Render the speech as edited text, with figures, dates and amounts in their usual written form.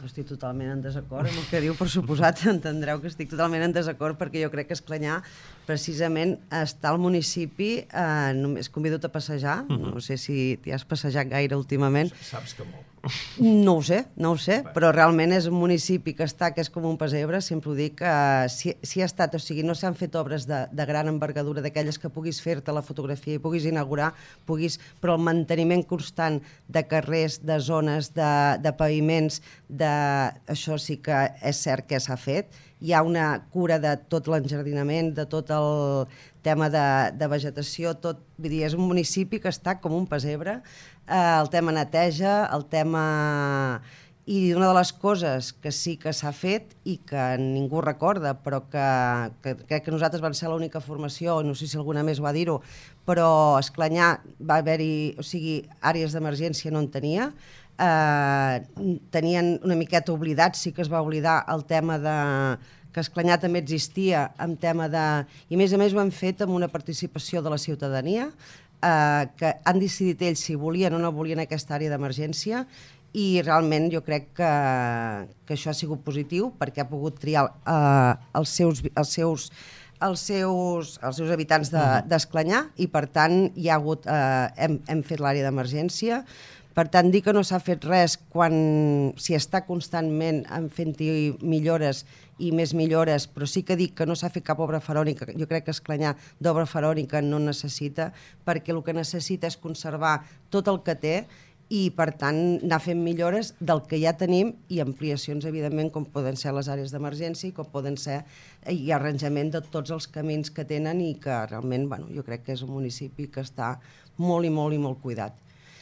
Estic totalment en desacord amb el que diu, per suposat, entendreu que estic totalment en desacord perquè jo crec que Esclanyà precisament està al municipi, només convido-te a passejar, no sé si t'hi has passejat gaire últimament. Saps que molt. No ho sé, però realment és un municipi que és com un pessebre, sempre ho dic, si ha estat, o sigui, no s'han fet obres de gran envergadura, d'aquelles que puguis fer-te la fotografia i puguis inaugurar, però el manteniment constant de carrers, de zones, de paviments, això sí que és cert que s'ha fet. Hi ha una cura de tot l'enjardinament, de tot el tema de vegetació, vull dir, és un municipi que està com un pessebre, el tema neteja, el tema... I una de les coses que sí que s'ha fet i que ningú recorda, però que crec que nosaltres vam ser l'única formació, no sé si alguna més va dir-ho, però a Esclanyà va haver-hi, o sigui, àrees d'emergència no en tenia, tenien una miqueta oblidat, sí que es va oblidar el tema que Esclanyà també existia en tema de... I a més ho han fet amb una participació de la ciutadania, que han decidit ells si volien o no volien aquesta àrea d'emergència, i realment jo crec que això ha sigut positiu perquè ha pogut triar els seus habitants d'Esclanyà i per tant hi ha hagut, hem fet l'àrea d'emergència. Per tant, dir que no s'ha fet res quan s'hi està constantment fent-hi millores i més millores, però sí que dic que no s'ha fet cap obra faraònica. Jo crec que Esclanyà d'obra faraònica no necessita, perquè el que necessita és conservar tot el que té i, per tant, anar fent millores del que ja tenim i ampliacions, evidentment, com poden ser les àrees d'emergència i com poden ser i arranjament de tots els camins que tenen i que realment, jo crec que és un municipi que està molt i molt i molt cuidat.